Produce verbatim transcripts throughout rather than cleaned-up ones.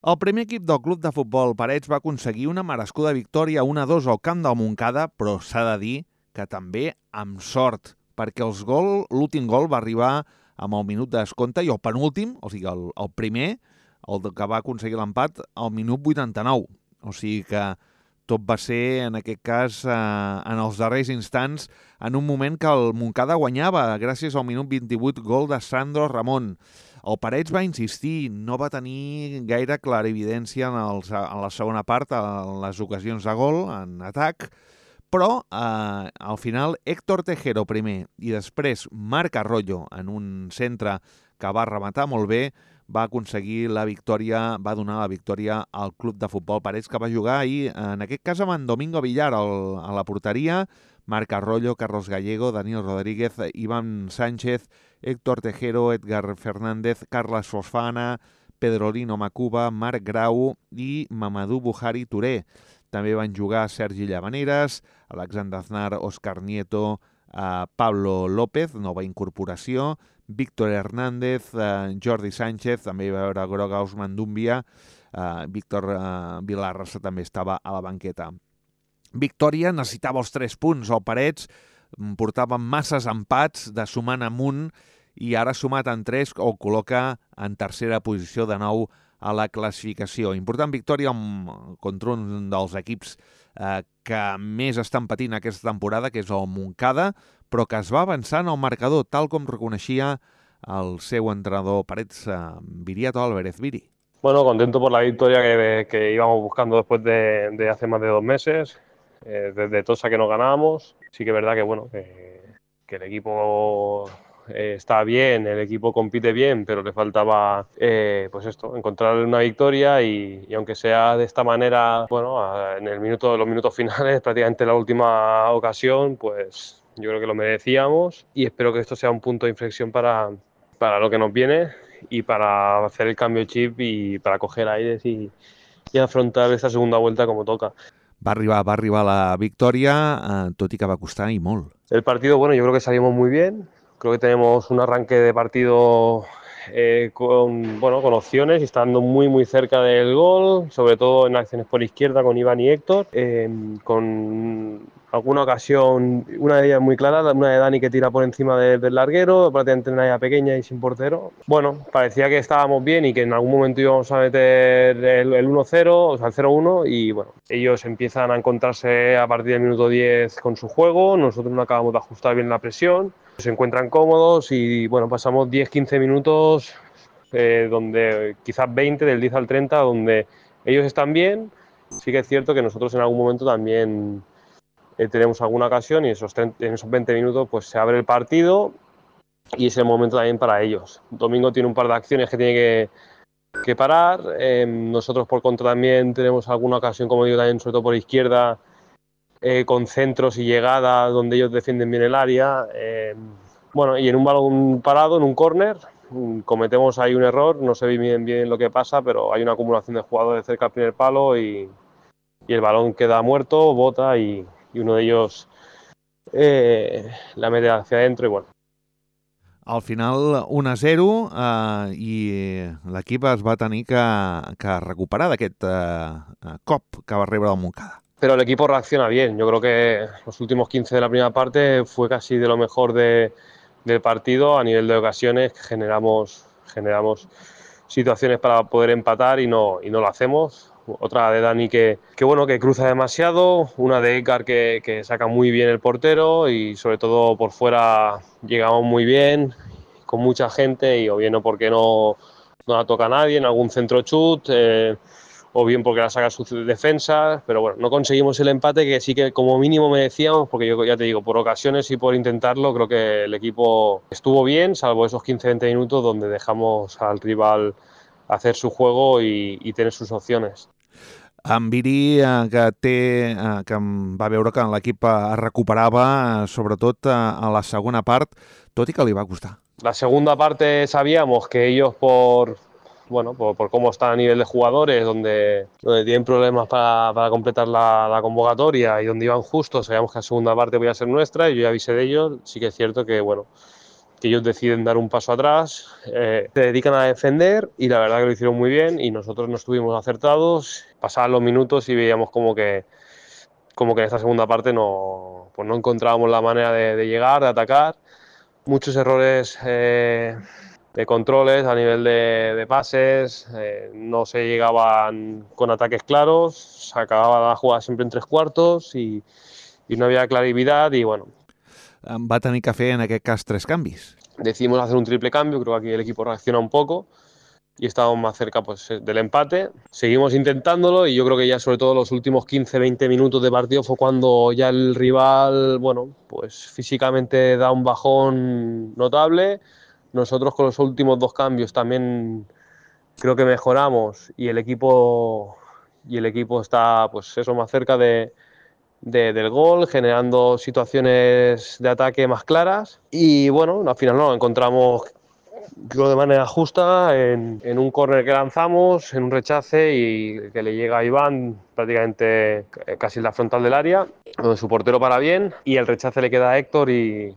El primer equip del club de futbol Parets va aconseguir una merescuda victòria un a dos al camp del Montcada, però s'ha de dir que també amb sort, perquè els gol, l'últim gol va arribar amb el minut de descompte i el penúltim, o sigui, el, el primer, el que va aconseguir l'empat, al minut vuitanta-nou. O sigui que tot va ser, en aquest cas, eh, en els darrers instants, en un moment que el Montcada guanyava, gràcies al minut vint-i-vuit gol de Sandro Ramon. El Parets va insistir, no va tenir gaire clarividència en, els, en la segona part, en les ocasions de gol, en atac, però eh, al final Héctor Tejero primer i després Marc Arroyo en un centre que va rematar molt bé, va aconseguir la victòria, va donar la victòria al club de futbol Parets, que va jugar ahir, en aquest cas amb en Domingo Villar al, a la porteria, Marc Arroyo, Carlos Gallego, Daniel Rodríguez, Iván Sánchez, Héctor Tejero, Edgar Fernández, Carles Fofana, Pedrolino Macuba, Marc Grau i Mamadou Buhari Touré. També van jugar Sergi Llavaneres, Alexander Aznar, Òscar Nieto, eh, Pablo López, nova incorporació, Víctor Hernández, eh, Jordi Sánchez, també hi va haver groga Osman Dúmbia, eh, Víctor eh, Vilarrasa també estava a la banqueta. Victòria, necessitava els tres punts, el Parets portava masses empats de sumant amunt i ara sumat en tres el col·loca en tercera posició de nou a la classificació. Important victòria contra un dels equips eh, que més estan patint aquesta temporada, que és el Montcada, però que es va avançar en el marcador, tal com reconeixia el seu entrenador Parets, eh, Viriato Álvarez. Viri. Bueno, contento por la victoria que, que íbamos buscando después de, de hace más de dos meses. Eh, desde Tosa que no ganábamos. Sí que es verdad que bueno que, que el equipo eh, está bien, el equipo compite bien, pero le faltaba eh, pues esto, encontrar una victoria y, y aunque sea de esta manera, bueno, a, en el minuto, los minutos finales, prácticamente la última ocasión, pues yo creo que lo merecíamos y espero que esto sea un punto de inflexión para, para lo que nos viene y para hacer el cambio de chip y para coger aires y, y afrontar esta segunda vuelta como toca. Va arribar, va arribar la victòria, eh, tot i que va costar i molt. El partido, bueno, yo creo que salimos muy bien. Creo que tenemos un arranque de partido eh, con, bueno, con opciones y estando muy, muy cerca del gol, sobre todo en acciones por izquierda con Iván y Héctor, eh, con alguna ocasión, una de ellas muy clara, una de Dani que tira por encima de, del larguero, prácticamente en una área pequeña y sin portero. Bueno, parecía que estábamos bien y que en algún momento íbamos a meter el, el uno cero, o sea, el cero uno, y bueno, ellos empiezan a encontrarse a partir del minuto diez con su juego, nosotros no acabamos de ajustar bien la presión, se encuentran cómodos y bueno, pasamos diez quince minutos, eh, donde quizás veinte, del diez al treinta, donde ellos están bien. Sí que es cierto que nosotros en algún momento también eh, tenemos alguna ocasión y esos treinta, en esos veinte minutos pues se abre el partido y es el momento también para ellos. Domingo tiene un par de acciones que tiene que, que parar, eh, nosotros por contra también tenemos alguna ocasión, como digo, también sobre todo por izquierda, eh, con centros y llegadas donde ellos defienden bien el área. Eh, bueno, y en un balón parado, en un córner, cometemos ahí un error, no sé bien bien lo que pasa, pero hay una acumulación de jugadores cerca del primer palo y, y el balón queda muerto, bota y, y uno de ellos eh, la mete hacia adentro y bueno. Al final un a zero eh, i l'equip es va tenir que, que recuperar d'aquest eh, cop que va rebre el Montcada. Pero el equipo reacciona bien. Yo creo que los últimos quince de la primera parte fue casi de lo mejor de, del partido a nivel de ocasiones. Generamos, generamos situaciones para poder empatar y no, y no lo hacemos. Otra de Dani que, que, bueno, que cruza demasiado, una de Edgar que, que saca muy bien el portero y sobre todo por fuera llegamos muy bien, con mucha gente y o bien o porque no, no la toca a nadie en algún centro chut, eh, o bien porque la saca sus defensas, pero bueno, no conseguimos el empate que sí que como mínimo merecíamos, porque yo ya te digo, por ocasiones y por intentarlo, creo que el equipo estuvo bien, salvo esos quince veinte minutos donde dejamos al rival hacer su juego y, y tener sus opciones. En Viri, eh, que, té, eh, que va veure que l'equip es recuperava, eh, sobretot eh, a la segona part, tot i que li va costar. La segunda parte sabíamos que ellos por... bueno, por, por cómo está a nivel de jugadores, donde, donde tienen problemas para, para completar la, la convocatoria y donde iban justos, sabíamos que la segunda parte podía ser nuestra y yo ya avisé de ellos. Sí que es cierto que, bueno, que ellos deciden dar un paso atrás, eh, se dedican a defender y la verdad que lo hicieron muy bien y nosotros no estuvimos acertados. Pasaban los minutos y veíamos como que, como que en esta segunda parte no, pues no encontrábamos la manera de, de llegar, de atacar. Muchos errores eh, de controles a nivel de, de pases, eh, no se llegaban con ataques claros, se acababa la jugada siempre en tres cuartos y, y no había claridad y bueno. Va tenir que fer en aquest cas tres canvis. Decidimos hacer un triple cambio, creo que aquí el equipo reacciona un poco y estábamos más cerca pues, del empate. Seguimos intentándolo y yo creo que ya sobre todo los últimos quince veinte minutos de partido fue cuando ya el rival, bueno, pues físicamente da un bajón notable. Nosotros con los últimos dos cambios también creo que mejoramos y el equipo, y el equipo está pues eso, más cerca de, de, del gol, generando situaciones de ataque más claras y bueno, al final no, lo encontramos creo de manera justa en, en un córner que lanzamos, en un rechace y que le llega a Iván prácticamente casi en la frontal del área, donde su portero para bien y el rechace le queda a Héctor y,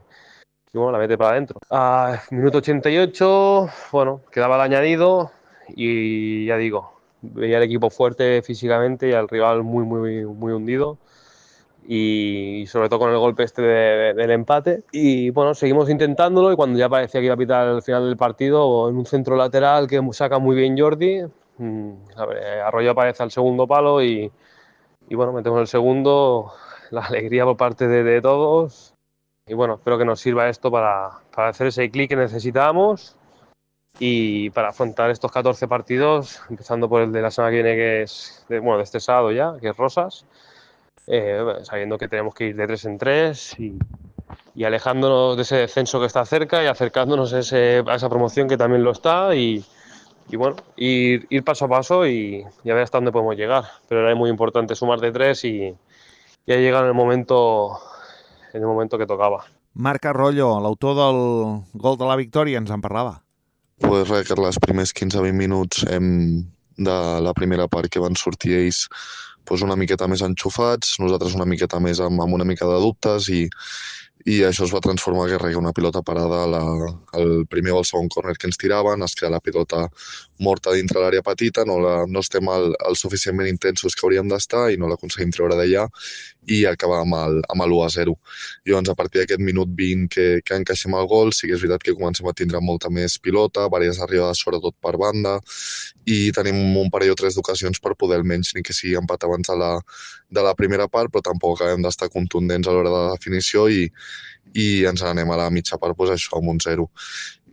y bueno, la mete para adentro. A minuto ochenta y ocho, bueno, quedaba el añadido y ya digo, veía el equipo fuerte físicamente y al rival muy, muy, muy hundido. Y sobre todo con el golpe este de, de, del empate y bueno, seguimos intentándolo y cuando ya parecía que iba a pitar al final del partido en un centro lateral que saca muy bien Jordi, mmm, a ver, Arroyo aparece al segundo palo y, y bueno, metemos el segundo, la alegría por parte de, de todos y bueno, espero que nos sirva esto para, para hacer ese clic que necesitábamos y para afrontar estos catorce partidos, empezando por el de la semana que viene que es, de, bueno, de este sábado ya, que es Rosas. Eh, sabiendo que tenemos que ir de tres en tres y, y alejándonos de ese descenso que está cerca y acercándonos a, ese, a esa promoción que también lo está y, y bueno, ir, ir paso a paso y, y a ver hasta dónde podemos llegar. Pero era muy importante sumar de tres y, y ha llegado en el momento, en el momento que tocava. Marc Arroyo, l'autor del gol de la victòria, ens en parlava. Pues res, que els primers quinze vint minuts hem, de la primera part que van sortir ells pues una miqueta més enxufats, nosaltres una miqueta més amb, amb una mica de dubtes i, i això es va transformar que reia una pilota parada la, el primer o el segon córner que ens tiraven, es crea la pilota morta dintre l'àrea petita, no, la, no estem el, el suficientment intensos que hauríem d'estar i no l'aconseguim treure d'allà i acabar amb el, amb l'u a zero. Llavors, a partir d'aquest minut vint que, que encaixem el gol, sí que és veritat que comencem a tindre molta més pilota, diverses arribades sobretot per banda i tenim un parell o tres d'ocasions per poder almenys ni que sigui empat abans de la, de la primera part, però tampoc acabem d'estar contundents a l'hora de la definició i, i ens anem a la mitja part pues, això, amb un zero.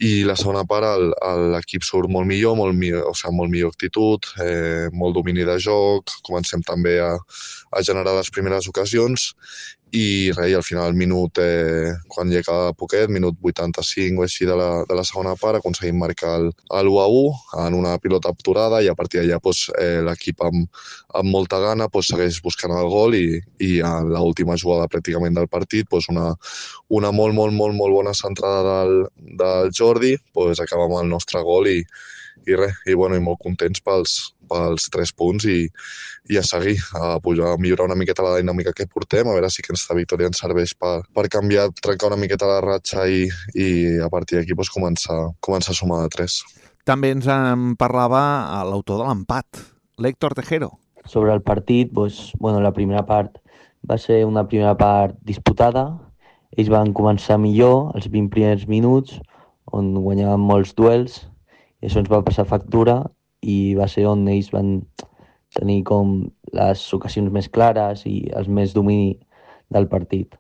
I la segona part l'equip surt molt millor, molt millor, o sigui, molt millor actitud, eh, molt domini de joc, comencem també a, a generar les primeres ocasions i res, al final, minut, eh, quan llega poquet, minut vuitanta-cinc o així de la, de la segona part, aconseguim marcar l'u a u en una pilota aturada i a partir d'allà pues, eh, l'equip amb, amb molta gana pues, segueix buscant el gol i, i a l'última jugada pràcticament del partit pues, una, una molt, molt, molt, molt bona centrada del, del Jordi, pues, acaba amb el nostre gol i, i res, i, bueno, i molt contents pels, pels tres punts i, i a seguir, a, pujar, a millorar una miqueta la dinàmica que portem, a veure si aquesta victòria ens serveix per, per canviar, trencar una miqueta la ratxa i, i a partir d'aquí pues, començar, començar a sumar de tres. També ens en parlava l'autor de l'empat, l'Héctor Tejero. Sobre el partit, pues, bueno, la primera part va ser una primera part disputada. Ells van començar millor, els vint primers minuts, on guanyaven molts duels, i això ens va passar factura i va ser on ells van tenir com les ocasions més clares i els més domini del partit.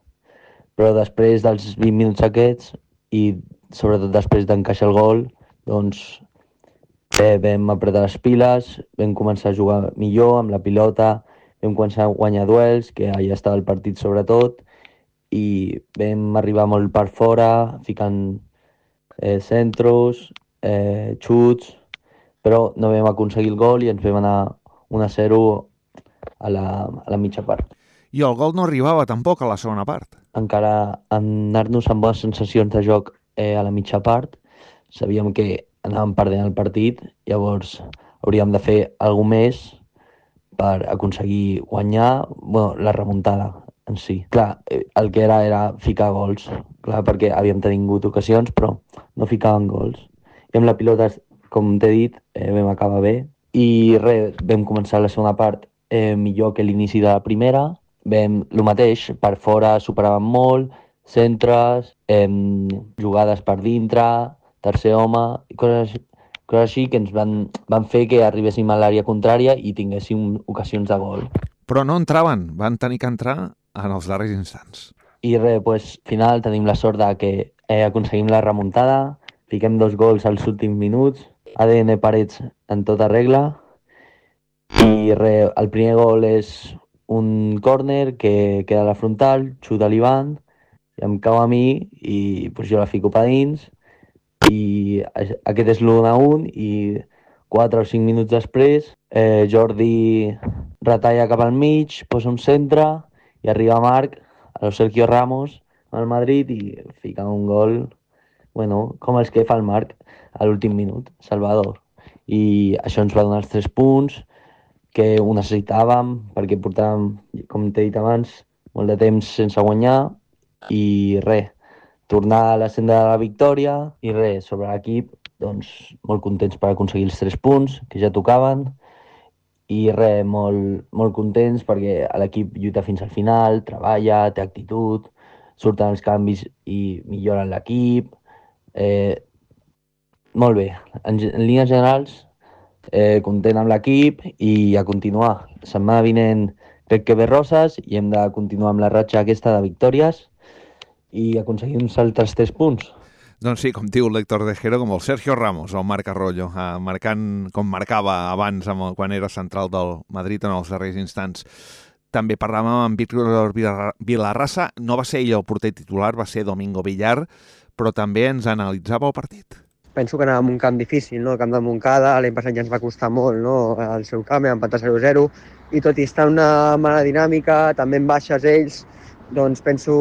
Però després dels vint minuts aquests i sobretot després d'encaixar el gol, doncs eh, vam apretar les piles, vam començar a jugar millor amb la pilota, vam començar a guanyar duels, que allà estava el partit sobretot, i vam arribar molt per fora, ficant eh, centros, eh, xuts, però no vam aconseguir el gol i ens vam anar un a zero a la, a la mitja part. I el gol no arribava tampoc a la segona part. Encara anar-nos amb bones sensacions de joc eh, a la mitja part, sabíem que anàvem perdent el partit, llavors hauríem de fer alguna més per aconseguir guanyar, bueno, la remuntada en si. Clar, el que era era ficar gols, clar, perquè havíem tingut ocasions, però no ficaven gols. I amb la pilota, com t'he dit, eh, vam acabar bé. I res, vam començar la segona part eh, millor que l'inici de la primera. Vam, el mateix, per fora superàvem molt, centres, eh, jugades per dintre, tercer home, i coses, coses així que ens van, van fer que arribéssim a l'àrea contrària i tinguéssim ocasions de gol. Però no entraven, van tenir que entrar en els darrers instants. I res, pues, al final tenim la sort de que eh, aconseguim la remuntada, fiquem dos gols als últims minuts, A D N Parets en tota regla, i res, el primer gol és un córner que queda a la frontal, xuta l'Ivan, i em cau a mi i pues, jo la fico per dins, i aquest és l'u a un i quatre o cinc minuts després eh, Jordi retalla cap al mig, posa un centre i arriba Marc, a lo Sergio Ramos, al Madrid, i fica un gol, bueno, com els que fa el Marc a l'últim minut, Salvador. I això ens va donar els tres punts que ho necessitàvem perquè portàvem, com t'he dit abans, molt de temps sense guanyar i res, tornar a la senda de la victòria i res, sobre l'equip, doncs molt contents per aconseguir els tres punts que ja tocaven i res, molt, molt contents perquè l'equip lluita fins al final, treballa, té actitud, surten els canvis i milloren l'equip. Eh, molt bé, en, en línies generals, eh, content amb l'equip i a continuar. Setmana vinent crec que ve Roses i hem de continuar amb la ratxa aquesta de victòries i aconseguir uns altres tres punts. Doncs sí, com diu l'Héctor Tejero, com el Sergio Ramos, el Marc Arroyo, eh, marcant com marcava abans amb el, quan era central del Madrid en els darrers instants. També parlàvem amb Víctor Vilarrasa, no va ser ell el porter titular, va ser Domingo Villar, però també ens analitzava el partit. Penso que anàvem a un camp difícil, no? El camp de Montcada, l'any passat ja ens va costar molt, no? El seu camp, vam empatar zero a zero, i tot i estar en una mala dinàmica, també en baixes ells, doncs penso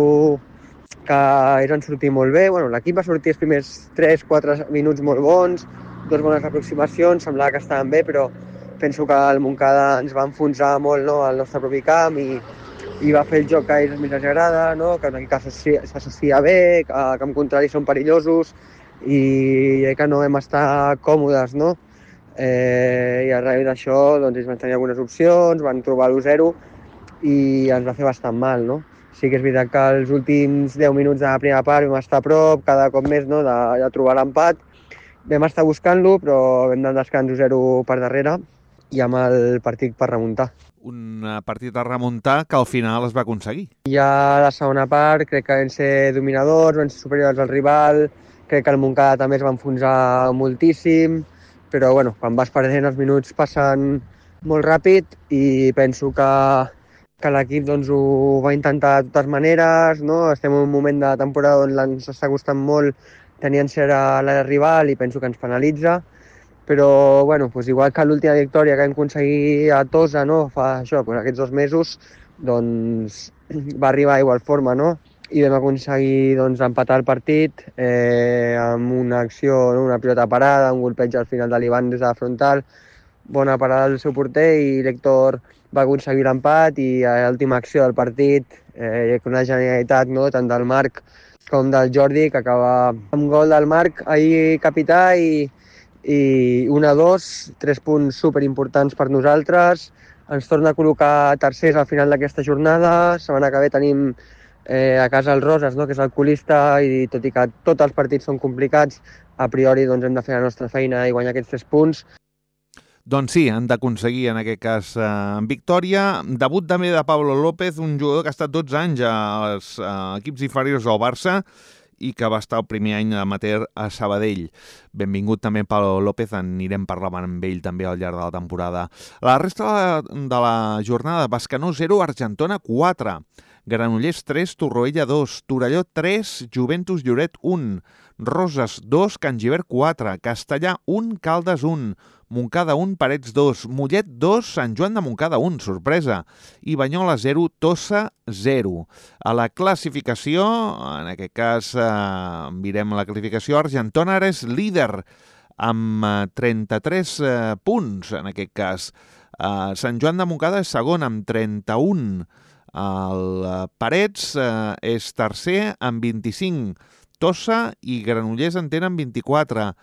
que ells van sortir molt bé. Bueno, l'equip va sortir els primers tres quatre minuts molt bons, dues bones aproximacions, semblava que estaven bé, però penso que el Montcada ens va enfonsar molt, no? Al nostre propi camp i, i va fer el joc que a ells més els agrada, no? Que una mica s'associa bé, que al camp contrari són perillosos, i que no vam estar còmodes, no? Eh, I arrel d'això doncs, ells van tenir algunes opcions, van trobar l'u zero i ens va fer bastant mal, no? Sí que és veritat que els últims deu minuts de la primera part vam estar a prop, cada cop més, no? de, de trobar l'empat. Vam estar buscant-lo, però vam anar descans u zero per darrere i amb el partit per remuntar. Un partit a remuntar que al final es va aconseguir. Ja a la segona part crec que vam ser dominadors, vam ser superiors al rival. Crec que el Montcada també es va enfonsar moltíssim, però bueno, quan vas perdent els minuts passen molt ràpid i penso que, que l'equip doncs, ho va intentar de totes maneres, no? Estem en un moment de temporada on ens està costant molt tenir encert a l'àrea rival i penso que ens penalitza, però bueno, doncs igual que l'última victòria que vam aconseguir a Tosa, no? Fa això, doncs aquests dos mesos, doncs va arribar a igual forma, no? I vam aconseguir doncs, empatar el partit eh, amb una acció, no? Una pilota parada, un golpeig al final de l'Ivan des de la frontal, bona parada del seu porter i l'Héctor va aconseguir l'empat i a l'última acció del partit, eh, una genialitat, no? Tant del Marc com del Jordi, que acaba amb gol del Marc, ahir capità, i, i un a dos, tres punts superimportants per nosaltres. Ens torna a col·locar tercers al final d'aquesta jornada. Setmana que ve tenim Eh, a casa el Roses, no? Que és el colista, i tot i que tots els partits són complicats, a priori doncs, hem de fer la nostra feina i guanyar aquests tres punts. Doncs sí, han d'aconseguir en aquest cas eh, victòria. Debut també de Pablo López, un jugador que ha estat dotze anys als eh, equips inferiors del Barça i que va estar el primer any amateur a Sabadell. Benvingut també Pablo López, anirem parlant amb ell també al llarg de la temporada. La resta de la jornada, Bescanó zero, Argentona quatre. Granollers tres, Torroella dos, Torelló tres, Juventus Lloret un, Roses dos, Can Gibert quatre, Castellà un, Caldes un, Montcada un, Parets dos, Mollet dos, Sant Joan de Montcada un, sorpresa, i Banyola zero, Tossa zero. A la classificació, en aquest cas eh, mirem la classificació, Argentona ara és líder amb eh, trenta-tres eh, punts, en aquest cas. Eh, Sant Joan de Montcada és segon amb trenta-un. El Parets eh, és tercer amb vint-i-cinc, Tossa i Granollers en tenen vint-i-quatre,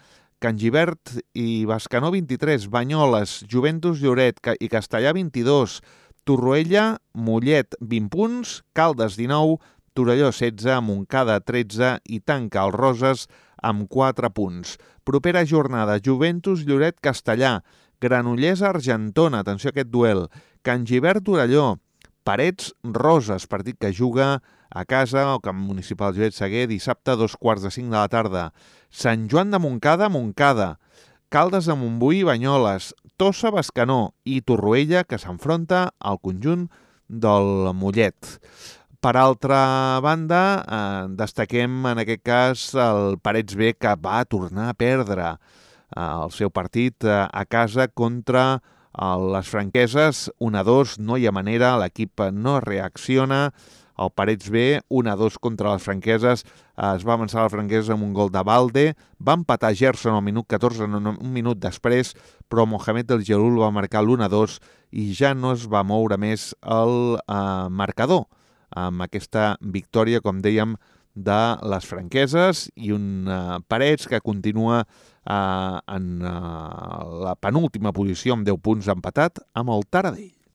Can Gibert i Bescanó vint-i-tres, Banyoles, Joventut Lloret i Castellà vint-i-dos, Torroella, Mollet vint punts, Caldes dinou, Torelló setze, Montcada tretze i tanca el Roses amb quatre punts. Propera jornada, Joventut Lloret Castellà, Granollers Argentona, atenció a aquest duel, Can Gibert Torelló, Parets Roses, partit que juga a casa al Camp Municipal Josep Seguer dissabte a dos quarts de cinc de la tarda. Sant Joan de Montcada, Montcada, Caldes de Montbui, Banyoles, Tossa, Bescanó i Torroella, que s'enfronta al conjunt del Mollet. Per altra banda, eh, destaquem en aquest cas el Parets B, que va tornar a perdre eh, el seu partit eh, a casa contra eh, les franqueses. un a dos, no hi ha manera, l'equip no reacciona. El Parets B, un a dos contra les franqueses, es va avançar a les franqueses amb un gol de Balde, va empatar Gerson al minut catorze, un minut després, però Mohamed El Gelul va marcar l'u a dos i ja no es va moure més el eh, marcador amb aquesta victòria, com dèiem, de les franqueses i un eh, Parets que continua eh, en eh, la penúltima posició amb deu punts, empatat amb el Taradell.